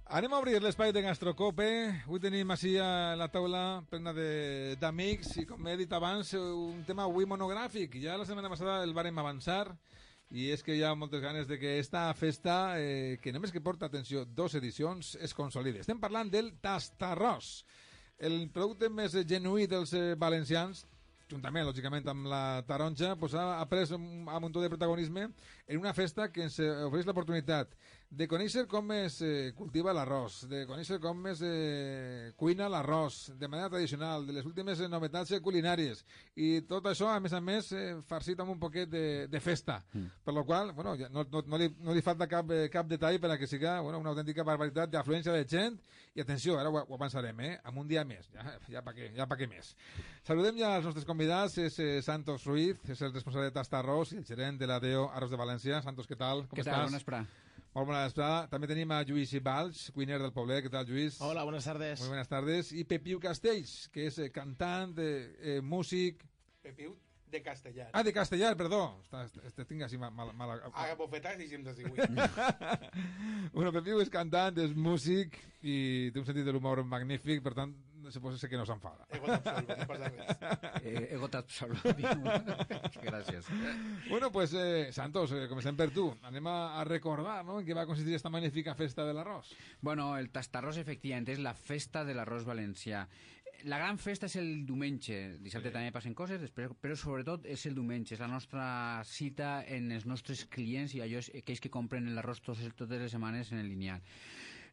Anem a obrir l'espai de Gastrocope. Avui tenim així a la taula plena d'amics i, com he dit abans, un tema avui monogràfic. Ja la setmana passada el vàrem avançar i és que hi ha moltes ganes de que esta festa, que només que porta, atenció, 2 edicions, es consolide. Estem parlant del tastarròs, el producte més genuí dels valencians, juntament, lògicament, amb la taronja, pues ha pres un muntó de protagonisme en una festa que ens ofereix l'oportunitat de conèixer com es cultiva l'arròs, de conèixer com es cuina l'arròs de manera tradicional, de les últimes novetats culinàries, i tot això, a més, farcit amb un poquet de festa. Per lo qual, bueno, no li falta cap detall per a que siga una autèntica barbaritat d'afluència de gent, i atenció, ara ho avançarem, amb un dia més, ja pa què més. Saludem ja els nostres convidats, és Santos Ruiz, és el responsable de Tastarròs i el gerent de l'ADEO Arròs de València. Santos, què tal? Com estàs? Bona vesprà. Molt bona vesprà. També tenim a Lluís Balch, cuiner del Poblet. Què tal, Lluís? Hola, buenas tardes. Muy buenas tardes. I Pepiu Castells, que és cantant, músic... Pepiu de Castellar. Ah, de Castellar, perdó. Tinc així mal... A bofetats i sempre així. Bueno, Pepiu és cantant, és músic i té un sentit de l'humor magnífic, per tant, suposo que no s'enfada. Ego t'absolvo, no passa res. Ego t'absolvo. Gràcies. Bueno, pues, Santos, comencem per tu. Anem a recordar, no?, en què va consistir esta magnífica festa de l'arròs. Bueno, el tastarròs, efectivament, és la festa de l'arròs valencià. La gran festa és el diumenge. Dissabte també passen coses, però sobretot és el diumenge. És la nostra cita en els nostres clients i aquells que compren l'arròs totes les setmanes en el lineal.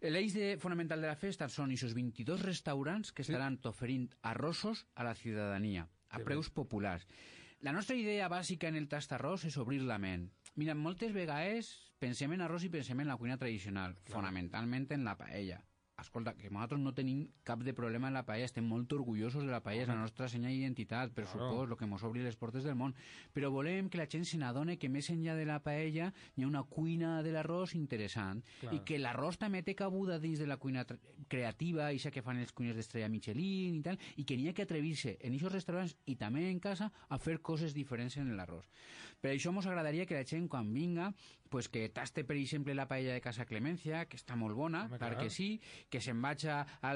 L'eix fonamental de la festa són aquests 22 restaurants que estaran oferint arrossos a la ciutadania, a preus populars. La nostra idea bàsica en el tastarròs és obrir la ment. Mira, moltes vegades pensem en arròs i pensem en la cuina tradicional, fonamentalment en la paella. Escolta, que nosaltres no tenim cap de problema en la paella, estem molt orgullosos de la paella, és la nostra senyal d'identitat, per supòs, el que ens obri les portes del món. Però volem que la gent se n'adone que més enllà de la paella hi ha una cuina de l'arròs interessant, i que l'arròs també té cabuda dins de la cuina creativa, això que fan els cuiners d'Estrella Michelin i tal, i que n'hi ha que atrevir-se en aquests restaurants i també en casa a fer coses diferents en l'arròs. Per això ens agradaria que la gent, quan vinga, pues que taste, per exemple, la paella de Casa Clemencia, que està molt bona, clar que sí, que se'n vaig a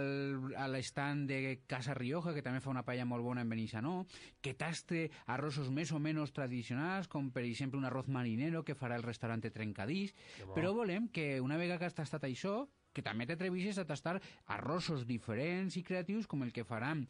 l'estant de Casa Rioja, que també fa una paella molt bona en Benissanó, que taste arrossos més o menys tradicionals, com per exemple un arroz marinero que farà el restaurant Trencadís, però volem que una vegada que has tastat això, que també t'atrevissis a tastar arrossos diferents i creatius com el que faran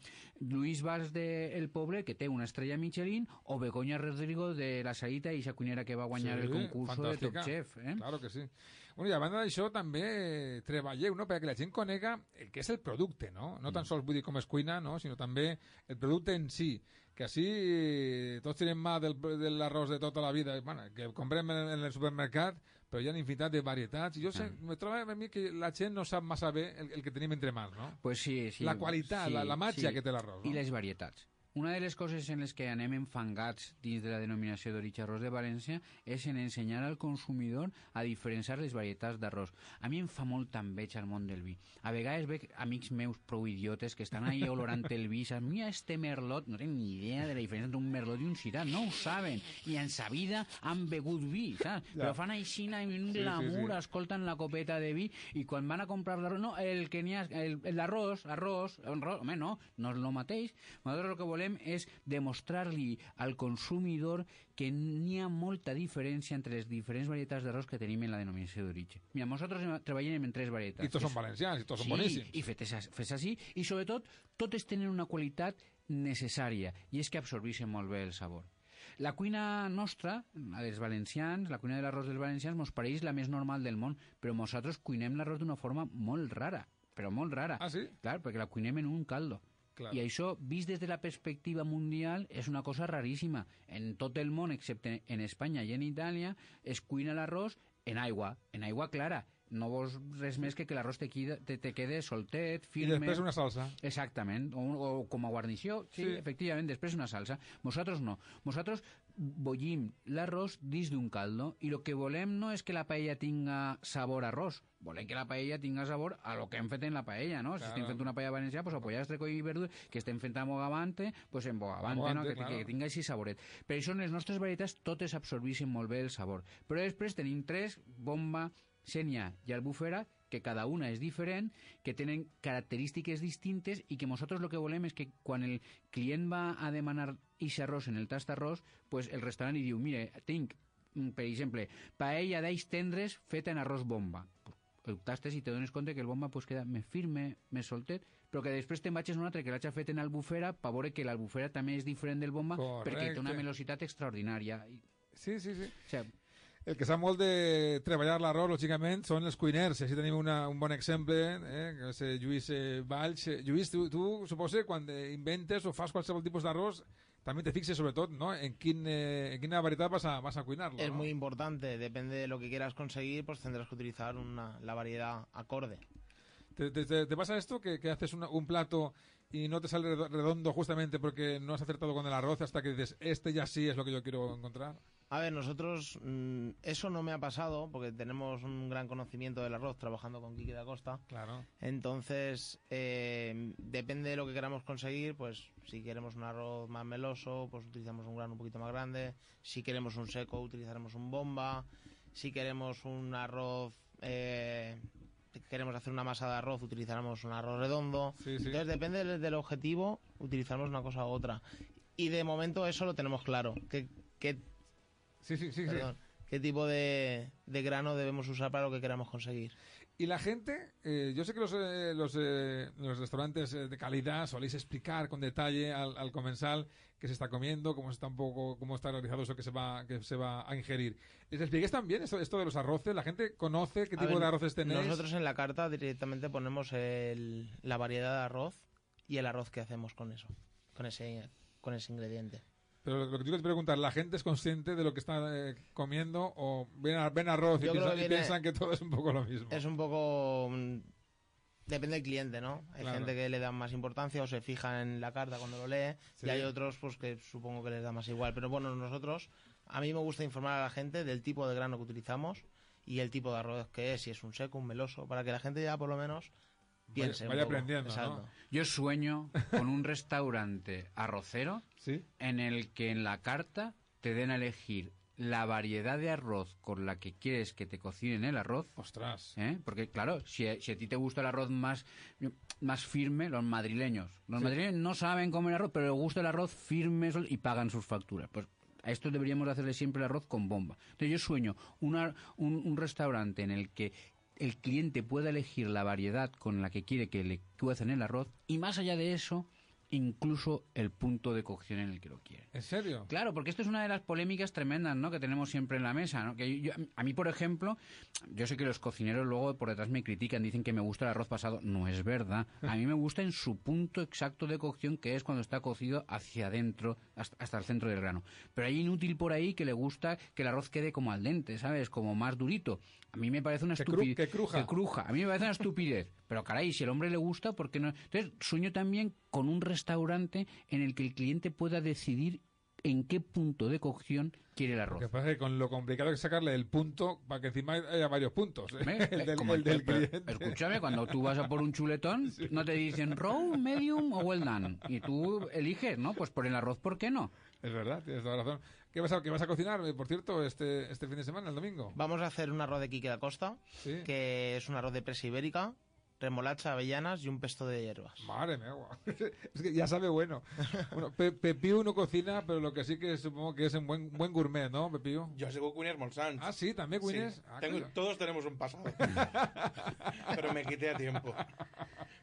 Lluís Valls del Poble, que té una estrella Michelin, o Begoña Rodrigo de la Sarita, i esa cuinera que va guanyar el concurs de Top Chef. Claro que sí. Bueno, i a banda d'això també treballeu, no?, perquè la gent conega el que és el producte, no? No tan sols vull dir com es cuina, no?, sinó també el producte en si, que així tots tenim mà de l'arròs de tota la vida, bueno, que comprem en el supermercat, però hi ha infinitat de varietats, i jo me trobo a mi que la gent no sap massa bé el que tenim entre mans, no? Pues sí, sí. La qualitat, sí, la màgia que té l'arròs, no? I les varietats. Una de les coses en les que anem enfangats dins de la denominació d'origen arròs de València és en ensenyar al consumidor a diferenciar les varietats d'arròs. A mi em fa molta enveja al món del vi. A vegades veig amics meus prou idiotes que estan ahí olorant el vi, saps? Mira, este merlot, no tenen ni idea de la diferència entre un merlot i un sirà, no ho saben, i en sa vida han begut vi, saps? Però fan així un glamour, escolten la copeta de vi, i quan van a comprar l'arròs, no, el que n'hi ha, l'arròs, home, no és el mateix. Nosaltres el que volem és demostrar-li al consumidor que n'hi ha molta diferència entre les diferents varietats d'arròs que tenim en la denominació d'origen. Mira, nosaltres treballem en 3 varietats. I tots són valencians, i tots són boníssims. Sí, i fes així, i sobretot totes tenen una qualitat necessària, i és que absorbeixen molt bé el sabor. La cuina nostra, la dels valencians, la cuina de l'arròs dels valencians, mos pareix la més normal del món, però nosaltres cuinem l'arròs d'una forma molt rara, però molt rara. Ah, sí? Clar, perquè la cuinem en un caldo. Claro. I això, vist des de la perspectiva mundial, és una cosa raríssima. En tot el món, excepte en Espanya i en Itàlia, es cuina l'arròs en aigua clara. No vols res més que l'arròs te quede soltet, firme... I després una salsa. Exactament, o com a guarnició, sí, efectivament, després una salsa. Nosaltres no. Nosaltres bullim l'arròs dins d'un caldo, i el que volem no és que la paella tinga sabor a arròs, volem que la paella tinga sabor a lo que hem fet en la paella, no? Claro. Si estem fent una paella valenciana, pues a pollastre, coll i verdura, que estem fent a bogavante, pues en bogavante, no? Que tinga així saboret. Per això en les nostres varietats totes absorbeixen molt bé el sabor. Però després tenim 3, bomba, Sénia i Albufera, que cada una és diferent, que tenen característiques distintes i que nosaltres el que volem és que quan el client va a demanar ese arròs en el tastarròs, pues el restaurant li diu, mire, tinc, per exemple, paella d'alls tendres feta en arròs bomba. El tastes i te dones compte que el bomba pues, queda més firme, més soltet, però que després te'n vagis a un altre que l'hagi fet en albufera per veure que l'albufera també és diferent del bomba. Correcte. Perquè té una velocitat extraordinària. Sí, sí, sí. O sigui, el que sap molt de treballar l'arròs, lògicament, són els cuiners. Així tenim un bon exemple, que és Lluís Valls. Lluís, tu suposo, quan inventes o fas qualsevol tipus d'arròs, también te fixes sobre todo, ¿no? En qué variedad vas a cuinarlo. Es ¿no? muy importante, depende de lo que quieras conseguir, pues tendrás que utilizar la variedad acorde. ¿Te pasa esto que haces un plato y no te sale redondo justamente porque no has acertado con el arroz hasta que dices, este ya sí es lo que yo quiero encontrar? A ver, nosotros, eso no me ha pasado porque tenemos un gran conocimiento del arroz trabajando con Quique da Costa. Claro. Entonces, depende de lo que queramos conseguir, pues si queremos un arroz más meloso, pues utilizamos un grano un poquito más grande. Si queremos un seco, utilizaremos un bomba. Si queremos un arroz, queremos hacer una masa de arroz, utilizaremos un arroz redondo. Sí, sí. Entonces, depende del objetivo, utilizamos una cosa u otra. Y de momento eso lo tenemos claro. Perdón, ¿qué tipo de grano debemos usar para lo que queramos conseguir? Y la gente, yo sé que los restaurantes de calidad soléis explicar con detalle al comensal qué se está comiendo, cómo está realizado eso que se va a ingerir. ¿Les expliquéis también esto de los arroces? ¿La gente conoce qué tipo de arroces tenéis? Nosotros en la carta directamente ponemos la variedad de arroz y el arroz que hacemos con eso, con ese ingrediente. Pero lo que te quiero preguntar, ¿la gente es consciente de lo que está comiendo o ven arroz y piensan que todo es un poco lo mismo? Es un poco... Depende del cliente, ¿no? Hay Claro. gente que le da más importancia o se fija en la carta cuando lo lee, Sí. y hay otros pues que supongo que les da más igual. Pero bueno, a mí me gusta informar a la gente del tipo de grano que utilizamos y el tipo de arroz que es, si es un seco, un meloso, para que la gente ya por lo menos piense Vaya un poco. aprendiendo, Exacto. ¿no? yo sueño con un restaurante arrocero ¿Sí? en el que en la carta te den a elegir la variedad de arroz con la que quieres que te cocinen el arroz. Ostras. Porque claro, si a ti te gusta el arroz más firme, los madrileños no saben comer arroz, pero les gusta el arroz firme y pagan sus facturas. Pues a esto deberíamos hacerle siempre el arroz con bomba. Entonces yo sueño un restaurante en el que el cliente pueda elegir la variedad con la que quiere que le cuecen el arroz y más allá de eso, incluso el punto de cocción en el que lo quieren. ¿En serio? Claro, porque esto es una de las polémicas tremendas, ¿no?, que tenemos siempre en la mesa, ¿no? Que a mí, por ejemplo, yo sé que los cocineros luego por detrás me critican, dicen que me gusta el arroz pasado. No es verdad. A mí me gusta en su punto exacto de cocción, que es cuando está cocido hacia adentro, hasta el centro del grano. Pero hay inútil por ahí que le gusta que el arroz quede como al dente, ¿sabes? Como más durito. A mí me parece una estupidez. Que cruja. Que cruja. A mí me parece una estupidez. Pero caray, si al hombre le gusta, ¿por qué no? Entonces, sueño también con un restaurante en el que el cliente pueda decidir en qué punto de cocción quiere el arroz. Lo que pasa es que con lo complicado que es sacarle el punto para que encima haya varios puntos. ¿Ves? el del cliente. Escúchame, cuando tú vas a por un chuletón, no te dicen raw, medium o well done. Y tú eliges, ¿no? Pues por el arroz, ¿por qué no? Es verdad, tienes toda la razón. ¿Qué vas a cocinar, por cierto, este fin de semana, el domingo? Vamos a hacer un arroz de Quique da Costa, Sí. que es un arroz de presa ibérica, remolacha, avellanas y un pesto de hierbas. Madre mía, es que ya sabe bueno. Bueno, Pepiu no cocina, pero lo que sí que supongo que es un buen gourmet, ¿no, Pepiu? Yo sigo cuiner molt sants. Ah, sí, también cuines. Sí. Ah, Todos tenemos un pasado. Pero me quité a tiempo.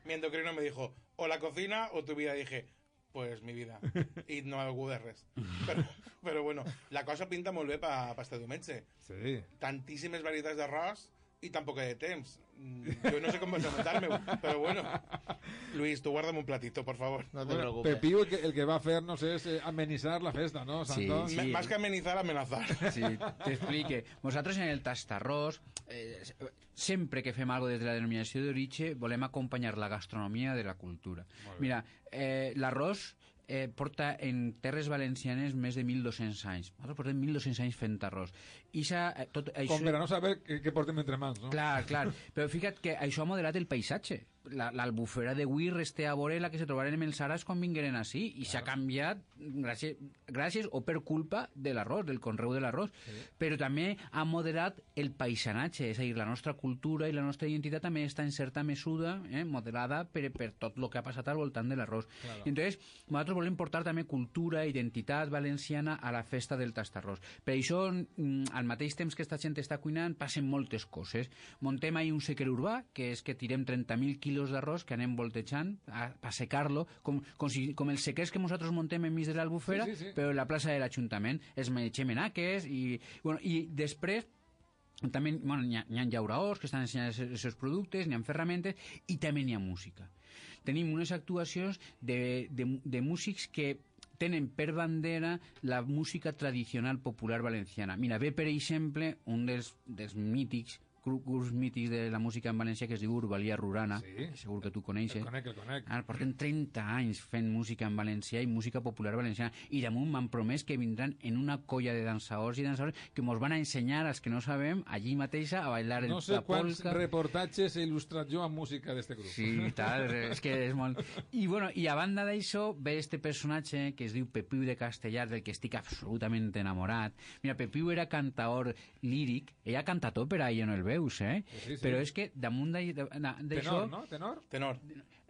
Mi endocrino me dijo, o la cocina o tu vida. Dije, pues mi vida. Y no algú de res. Pero bueno, la cosa pinta molt bé pa este diumenge. Sí. Tantíssimes varietats d'arròs i tan poca de temps. Yo no sé cómo vas a montarme, pero bueno. Luis, tú guárdame un platito, por favor. No te Bueno, preocupes. Pepiu el que va a hacernos es amenizar la fiesta, ¿no, Santos? Sí. Más que amenizar, amenazar. Sí, te explique. Nosaltres en el tastarrós, sempre que fem algo des de la denominació d'origen, volem acompanyar la gastronomia de la cultura. Mira, l'arròs porta en terres valencianes més de 1.200 anys. Nosaltres portem 1.200 anys fent arròs. Con verano saber qué portem entre mans, ¿no? Clar. Però fica't que això ha modelat el paisatge. l'Albufera de Güir resté a veure la que se trobaren en els Aras quan vingueren així, i s'ha canviat gràcies o per culpa de l'arròs, del conreu de l'arròs, però també ha moderat el paisatge, és a dir, la nostra cultura i la nostra identitat també està en certa mesura moderada per tot el que ha passat al voltant de l'arròs. Claro. Entonces, nosaltres volem portar també cultura, identitat valenciana a la festa del tastarròs. Per això, al mateix temps que esta gent està cuinant, passen moltes coses. Montem ahir un sequer urbà, que és que tirem 30.000 quilos d'arròs que anem voltejant a secar-lo, com els sequers que nosaltres montem enmig de l'Albufera, sí. però en la plaça de l'Ajuntament. Els menegem en aques i després també n'hi ha llauraors que estan ensenyant els seus productes, n'hi ha ferramentes i també n'hi ha música. Tenim unes actuacions de músics que tenen per bandera la música tradicional popular valenciana. Mira, ve per exemple un dels mítics grups mítics de la música en valencià que es diu Urbalia Rurana, sí. Segur que tu coneixes. El conec. Porten 30 anys fent música en valencià i música popular valenciana, i damunt m'han promès que vindran en una colla de dansadors i dansadores que mos van a ensenyar, als que no sabem, allí mateixa a bailar no sé la polca. Quants reportatges he il·lustrat jo amb música d'este grup. Sí, tal, és que és molt... I a banda d'això ve este personatge que es diu Pepiu de Castellar, del que estic absolutament enamorat. Mira, Pepiu era cantaor líric, ella ha cantat òpera i jo no el veus, Sí. Però és que damunt d'això... Tenor, no? Tenor.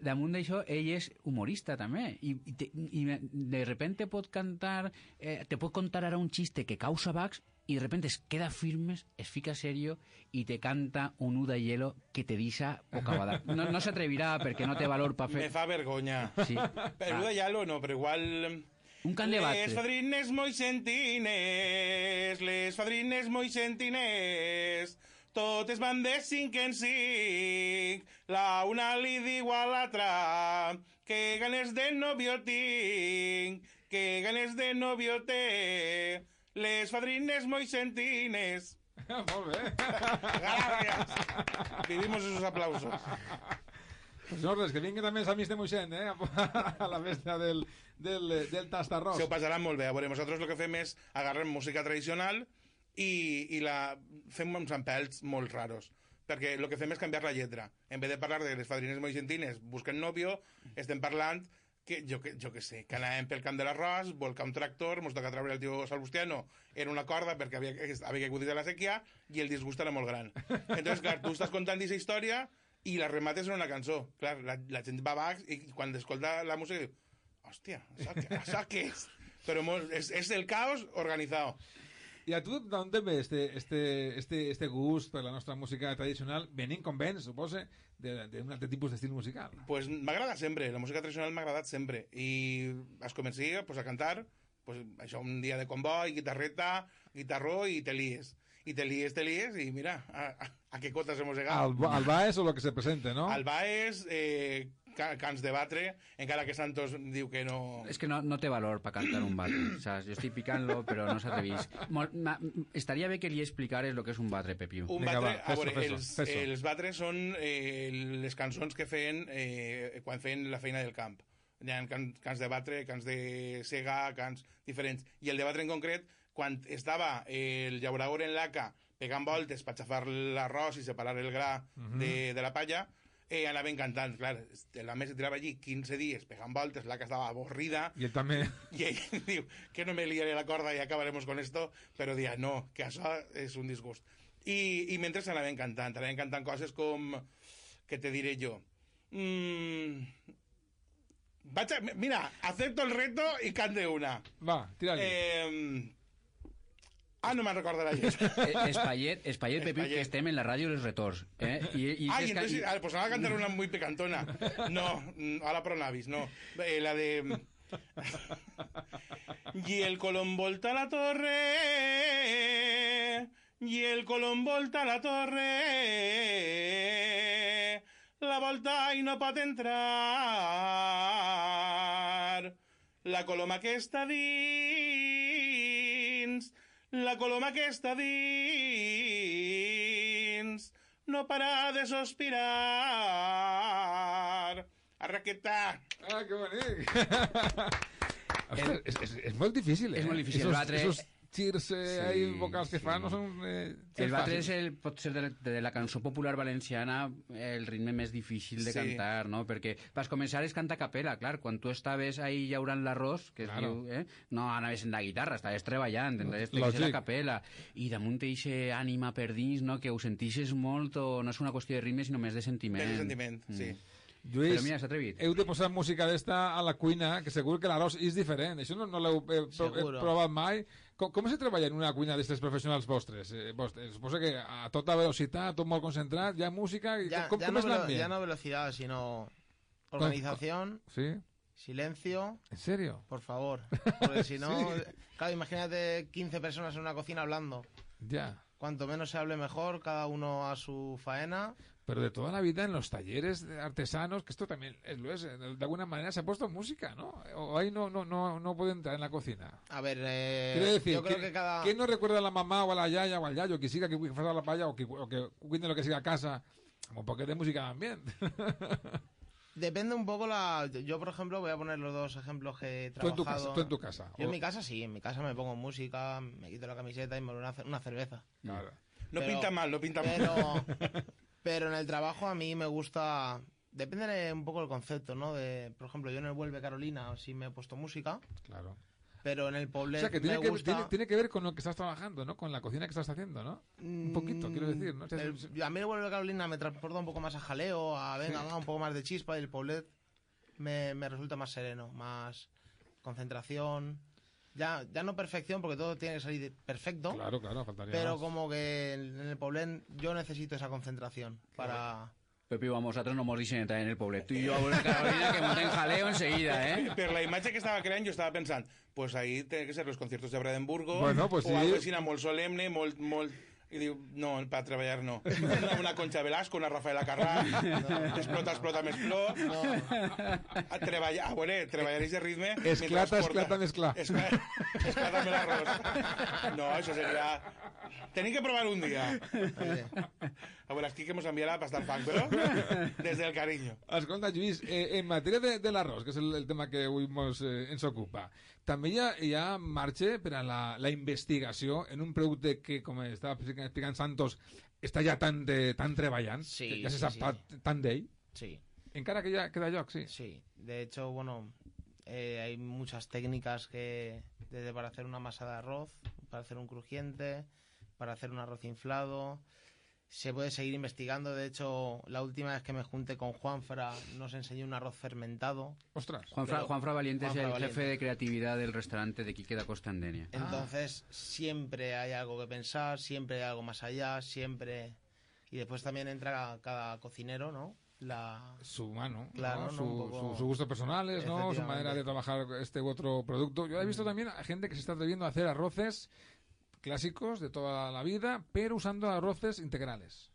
Damunt d'això, ell és humorista també, i de repente pot cantar, te pot contar ara un xiste que causa bugs, i de repente es queda firmes, es fica serio i te canta un U de hielo que te deixa bocabada. No s'atrevirà perquè no té valor per fer... Me fa vergonya. Sí. Però U de hielo no, però igual... Un cant de batre. Les fadrines moixentines, totes van de 5 en 5, la una li diu a l'altra, que ganes de novio tinc, que ganes de novio té, les fadrines moixentines. Molt bé. Gràcies. Vivimos esos aplausos. Pues no, res, que vingui també els amics de Moixent, a la festa del tastarròs. Se ho passaran molt bé. A veure, nosaltres el que fem és agarrar música tradicional i la fem uns empells molt raros, perquè el que fem és canviar la lletra. En vez de parlar de les fadrines moixentines busquen novio, estem parlant que jo que sé, que anàvem pel camp de l'arròs, volcar un tractor, mos toca treure el tio Salbustiano en una corda perquè havia caigut de la sèquia i el disgust era molt gran. Entonces, clar, tu estàs contant aquesta història i la remates en una cançó. Clar, la gent va baix i quan escolta la música diu, hòstia, això què és? Però és el caos organitzado. I a tu d'on te ve este gust per la nostra música tradicional? Venint com vens, suposa, d'un altre tipus d'estil musical. Pues m'agrada sempre, la música tradicional m'ha agradat sempre. I es comencia pues, a cantar, pues, això un dia de comboi, guitarreta, guitarró i te lies. I te lies, i mira, a què cotes hemos llegado. Al Baez o lo que se presente, no? Al Baez, cants de batre, encara que Santos diu que no... És que no té valor per cantar un batre. O sea, jo estic picant-lo, però no s'atrevís. Estaria bé que li explicares el que és un batre, Pepiu. Un batre, a veure, els batres són les cançons que feien quan feien la feina del camp. Hi ha cants de batre, cants de sega, cants diferents. I el de batre en concret, quan estava el llaurador en l'haca pegant voltes per xafar l'arròs i separar el gra de la palla, anaven cantant, clar, la mesa tirava allí 15 dies pegant voltes, l'haca estava avorrida i ell també i ell diu que no me liaré la corda i acabaremos con esto, però dia no, que això és un disgust. I mentre anaven cantant coses com, què te diré jo, mira, acepto el reto i cante una. Va, tira-li. No me'n recordarà gens. Espaiet, Pepiu, que estem en la ràdio dels retorns. Y entonces, pues ahora cantar una muy picantona. No, ahora pronavis, no. La de... Y el colón volta la torre, y el colón volta la torre, la volta i no pot entrar, la coloma que està dins, la coloma que està dins no para de sospirar. Arraqueta. Que bonic. És molt difícil, És molt difícil. Esos girs ahí vocals que fan no són el batre pot ser de la cançó popular valenciana el ritme més difícil de cantar, no? Perquè vas començar és cantar a capella, clar, quan tu estaves ahí llaurant l'arròs, que es diu, no anaves en la guitarra, estaves treballant, estaves a la capella, i damunt eixe ànima per dins, no? Que ho sentixes molt, o no és una qüestió de ritme, sinó més de sentiment. De sentiment, sí. Lluís, però mira, s'ha atrevit. Heu de posar música d'esta a la cuina, que segur que l'arròs és diferent. Això no l'heu provat mai. Com se treballa en una cuina d'aquestes professionals vostres? Suposo que a tota velocitat, tot molt concentrat, hi ha música... Com és l'ambient? Ya no velocidad, sino organización, ¿Sí? silencio... ¿En serio? Por favor, porque si no... Sí. Claro, imagínate 15 personas en una cocina hablando. Ya. Cuanto menos se hable mejor, cada uno a su faena... Pero de toda la vida en los talleres artesanos, que esto también lo es, de alguna manera se ha puesto música, ¿no? O ahí no puede entrar en la cocina. A ver, Quiero decir, yo creo que cada... ¿quién no recuerda a la mamá o a la yaya o al yayo que siga que fa la palla o que cuide lo que siga a casa? Como porque de música también. Depende un poco Yo, por ejemplo, voy a poner los dos ejemplos que he Tú en trabajado. tú en tu casa. Yo en mi casa sí, en mi casa me pongo música, me quito la camiseta y me voy a una cerveza. Claro. No pinta mal. Pero en el trabajo a mí me gusta... Depende un poco del concepto, ¿no? Por ejemplo, yo en el Vuelve Carolina sí me he puesto música, Claro. pero en el Poblet O sea, que me gusta... tiene que ver con lo que estás trabajando, ¿no? Con la cocina que estás haciendo, ¿no? Un poquito, quiero decir, ¿no? A mí el Vuelve Carolina me transporta un poco más a jaleo, va, un poco más de chispa, y el Poblet me resulta más sereno, más concentración... Ya no perfección, porque todo tiene que salir perfecto. Claro, faltaría pero más. como que en el Poblet yo necesito esa concentración para... Pepi, vosotros no morís en entrar en el Poblet. Tú y yo a volver Carolina que monten jaleo enseguida, ¿eh? Per la imatge que estava creant, jo estava pensant, pues ahí tienen que ser los conciertos de Brandenburgo, Bueno, pues o sí. algo així molt solemne, molt... I diu, no, per treballar no. Una Concha Velasco, una Rafaela Carrà, explota més plor. A treballar, treballar ese ritme... Esclata mesclar. Esclata més l'arròs. No, això seria... Tenim que provar un dia. A veure, aquí que mos enviarà bastant fang, però des del carinyo. Escolta, Lluís, en matèria de l'arròs, que és el tema que avui ens ocupa, també hi ha marge per a la investigació en un producte que, com estava explicant Santos, està ja tan treballant, Sí, que ja se sí, sap sí. tant d'ell, Sí, encara que ja queda lloc, sí. sí. De hecho, bueno, hay muchas técnicas desde para hacer una masa de arroz, para hacer un crujiente, para hacer un arroz inflado... Se puede seguir investigando. De hecho, la última vez que me junté con Juanfra nos enseñó un arroz fermentado. Ostras. Juanfra Valiente es el Juanfra jefe de creatividad del restaurante de Quique da Costa Andenia. Entonces, siempre hay algo que pensar, siempre hay algo más allá, siempre... Y después también entra cada cocinero, ¿no? Su mano, Claro, ¿no? ¿no? Un poco... Sus gustos personales, ¿no? Su manera de trabajar este u otro producto. Yo he visto también a gente que se está atreviendo a hacer arroces clásicos de toda la vida, pero usando arroces integrales.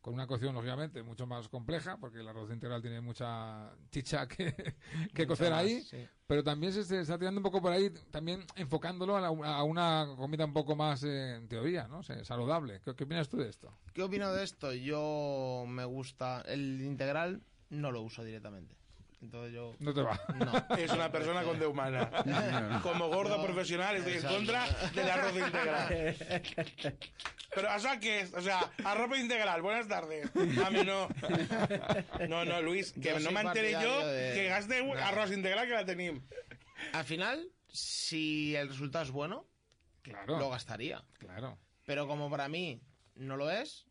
Con una cocción, lógicamente, mucho más compleja, porque el arroz integral tiene mucha chicha que cocer ahí, sí. pero también se está tirando un poco por ahí, también enfocándolo a una comida un poco más, en teoría, ¿no? Saludable. ¿Qué opinas tú de esto? ¿Qué opino de esto? Yo me gusta... El integral no lo uso directamente. Entonces yo... No te va. No. Es una persona con de humana. Como gordo profesional estoy en contra del arroz integral. Pero ¿a qué es? O sea, arroz integral, buenas tardes. A mí no. No, Luis, que Yo no soy me enteré yo partidario de... que gaste arroz integral que la tenim. Al final, si el resultado es bueno, Claro. lo gastaría. Claro. Pero como para mí no lo es,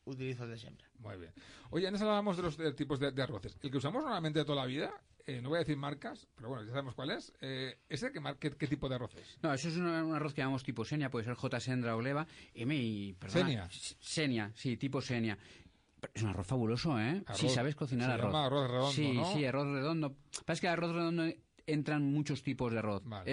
utilizo el de siempre. Muy bien. Oye, antes hablábamos de los tipos de arroces. El que usamos normalmente de toda la vida, no voy a decir marcas, pero bueno, ya sabemos cuál es. ¿Ese qué tipo de arroz es? No, eso es un arroz que llamamos tipo Senia, puede ser J. Sendra o Leva. Senia. Senia, sí, tipo Senia. Es un arroz fabuloso, ¿eh? Arroz, si sabes cocinar se arroz. llama arroz redondo, sí, ¿no? Sí, arroz redondo. Pasa que el arroz redondo entran muchos tipos de arroz. Vale.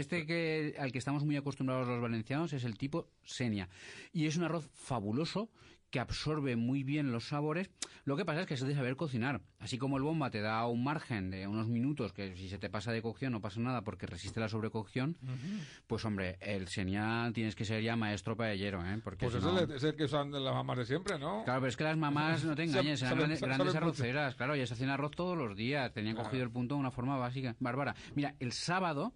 Al que estamos muy acostumbrados los valencianos es el tipo Senia. Y es un arroz fabuloso que absorbe muy bien los sabores. Lo que pasa es que es de saber cocinar. Así como el bomba te da un margen de unos minutos, que si se te pasa de cocción no pasa nada porque resiste la sobrecocción, pues hombre, el Senia tienes que ser ya maestro paellero, ¿eh? Porque Pues si ese no... es el que usan las mamás de siempre, ¿no? Claro, pero es que las mamás, no te engañes, eran saben grandes mucho. arroceras, claro, ellas hacían arroz todos los días, tenían cogido el punto de una forma básica, bárbara. Mira, el sábado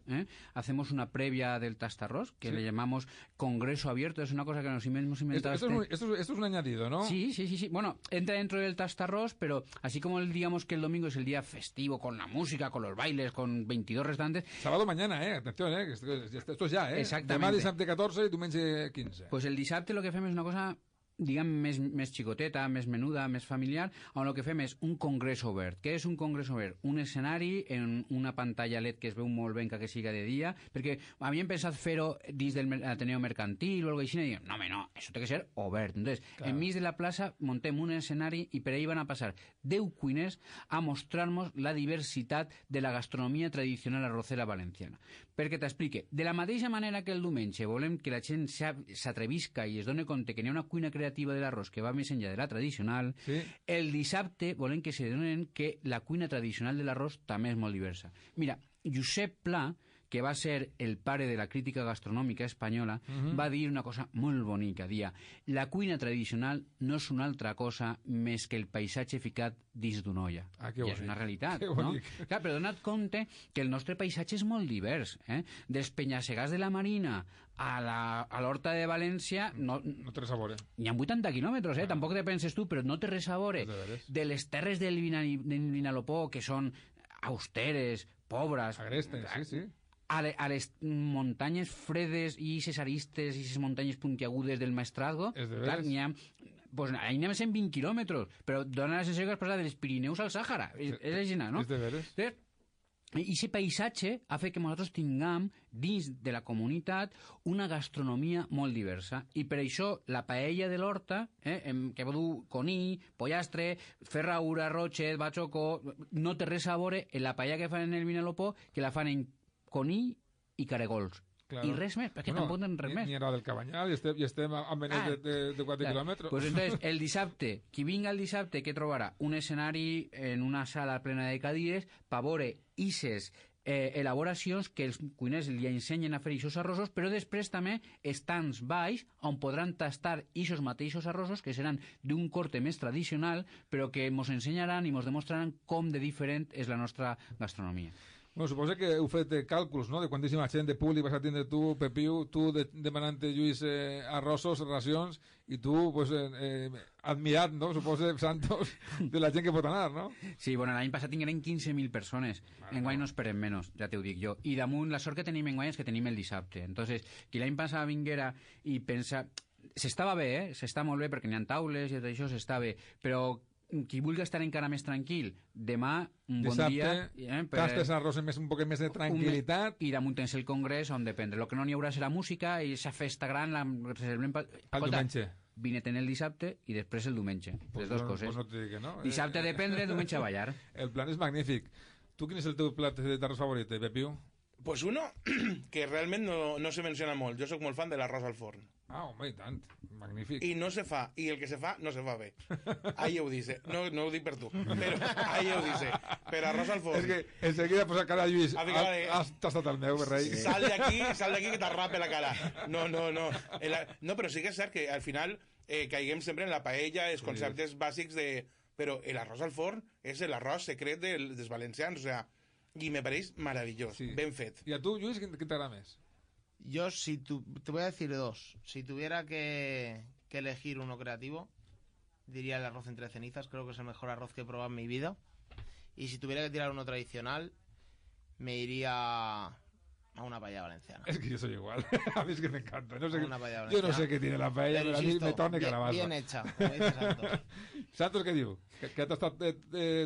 hacemos una previa del Tastarrós, que le llamamos Congreso Abierto, es una cosa que nos hemos inventado. Esto es un añadido, ¿no? Sí. Bueno, entra dentro del Tastarrós, pero así como digamos que el domingo es el día festivo, con la música, con los bailes, con 22 restantes... Sábado mañana, atención, que esto es ya, Exactamente. Demà dissabte 14 i diumenge 15. Pues el dissabte lo que fem és una cosa diguem, més xicoteta, més menuda, més familiar, on el que fem és un congrés obert. Què és un congrés obert? Un escenari en una pantalla LED que es veu molt ben que siga de dia, perquè havíem pensat fer-ho dins del Ateneo Mercantil o alguna cosa així, i diem, no, home, no, això té que ser obert. Entonces, claro, enmig de la plaça montem un escenari i per ahí van a passar 10 cuiners a mostrar-nos la diversitat de la gastronomia tradicional arrocera valenciana. Perquè t'explique, de la mateixa manera que el diumenge volem que la gent s'atrevisca i es doni compte que n'hi ha una cuina creativa de l'arròs que va més enllà de la tradicional, sí, el dissabte volem que se donen que la cuina tradicional de l'arròs també és molt diversa. Mira, Josep Pla, que va ser el pare de la crítica gastronòmica espanyola, va dir una cosa molt bonica, dia, la cuina tradicional no és una altra cosa més que el paisatge ficat dins d'una olla. I és una realitat, no? Clar, però dona't compte que el nostre paisatge és molt divers, Dels penya-segats de la Marina a l'Horta de València no té res a veure. N'hi ha 80 quilòmetres, tampoc te penses tu, però no té res a veure. De les terres del Vinalopó, que són austeres, pobres... Agrestes, sí. A les muntanyes fredes i cesaristes i les muntanyes puntiagudes del Maestrazgo, clar, n'hi ha... Pues ahí anem a 120 quilòmetres, però dona la sensació que has passat dels Pirineus al Sàhara. És així, no? És de veres. I aquest paisatge ha fet que nosaltres tinguem dins de la comunitat una gastronomia molt diversa, i per això la paella de l'Horta, que va dur conill, pollastre, ferraura, rochet, batxocó, no té res a veure en la paella que fan en el Vinalopó, que la fan en conill i caregols. Claro. I res més, perquè tampoc tenen res més. Ni era del Cabanyal i estem a menys de 4 quilòmetres. Pues entonces, el dissabte, qui vinga el dissabte, què trobarà? Un escenari en una sala plena de cadires per veure ixes elaboracions que els cuiners li ensenyen a fer ixos arrossos, però després també estants baix on podran tastar ixos mateixos arrossos que seran d'un corte més tradicional, però que mos ensenyaran i mos demostraran com de diferent és la nostra gastronomia. Bueno, suposo que heu fet càlculs, no?, de quantíssima gent de públic vas a tindre tu, Pepiu, tu demanant-te, Lluís, arrossos, racions, i tu, pues, admirat, no?, suposo, Santos, de la gent que pot anar, no? Sí, bueno, l'any passat tingueren 15.000 persones. Enguany no esperem menys, ja t'ho dic jo. I damunt, la sort que tenim enguany és que tenim el dissabte. Entonces, qui l'any passat vinguera i pensa... S'estava bé, s'està molt bé, perquè n'hi ha taules i tot això s'està bé, però... qui vulgui estar encara més tranquil, demà, un bon dia... Tastes arròs amb un poc més de tranquil·litat. I damunt tens el congrés on dependre. El que no n'hi haurà serà música i aquesta festa gran la reservem... El diumenge. Vine-te'n el dissabte i després el diumenge. Les dues coses. Pues no t'ho dic que no. Dissabte a dependre, diumenge a ballar. El plan és magnífic. Tu quin és el teu plat d'arròs favorit, Pepiu? Pues uno que realment no se menciona molt. Jo sóc molt fan de l'arròs al forn. Ah, home, i tant. Magnífic. I no se fa, i el que se fa, no se fa bé. Ahí ho dice. No ho dic per tu, però ahí ho dice. Per arròs al forn. És que enseguida posa cara a Lluís. Has tastat el meu, rei. Sal d'aquí que t'arrape la cara. No. No, però sí que és cert que al final caiguem sempre en la paella, els conceptes bàsics de... Però l'arròs al forn és l'arròs secret dels valencians, o sea, i me pareix meravellós, ben fet. I a tu, Lluís, quin t'agrada més? Yo, te voy a decir dos. Si tuviera que elegir uno creativo, diría el arroz entre cenizas. Creo que es el mejor arroz que he probado en mi vida. Y si tuviera que tirar uno tradicional, me iría a una paella valenciana. Es que yo soy igual. A mí es que me encanta. Yo no sé qué tiene la paella, pero pero a mí me torna calabaza. Bien hecha, como dice Santos. Santos què diu? Que ha tastat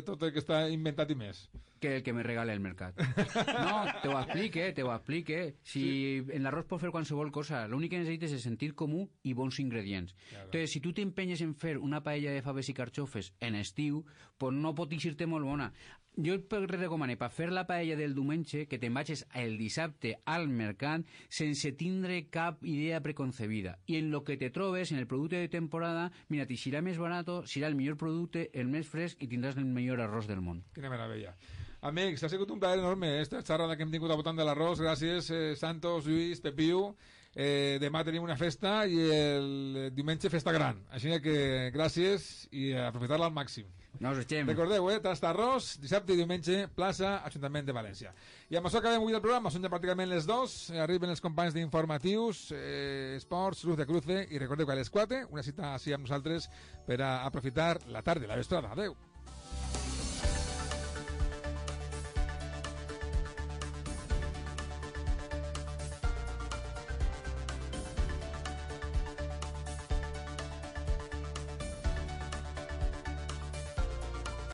tot el que està inventat i més. Que el que me regale el mercat. No, te ho explique. Si en l'arròs pots fer qualsevol cosa, l'únic que necessites és sentit comú i bons ingredients. Claro. Entonces, si tu t'empenyes en fer una paella de faves i carxofes en estiu, pues no pot eixir-te molt bona. Jo et recomano, per fer la paella del diumenge, que te'n vagis el dissabte al mercat sense tindre cap idea preconcebida. I en lo que te trobes, en el producte de temporada, mira, t'hi serà més barat, serà el millor producte, el més fresc i tindràs el millor arròs del món. Quina meravella. Amics, ha sigut un plaer enorme esta xerrada que hem tingut al voltant de l'arròs. Gràcies, Santos, Lluís, Pepiu. Demà tenim una festa i el diumenge festa gran. Així que gràcies i aprofitar-la al màxim. No us eixem. Recordeu, Tast Arròs, dissabte i diumenge, plaça Ajuntament de València. I amb això acabem avui el programa, són ja pràcticament les 2, arriben els companys d'informatius, esports, Luz de Cruce, i recordeu que a les 4, una cita així amb nosaltres per a aprofitar la tarda, la vesprada. Adeu.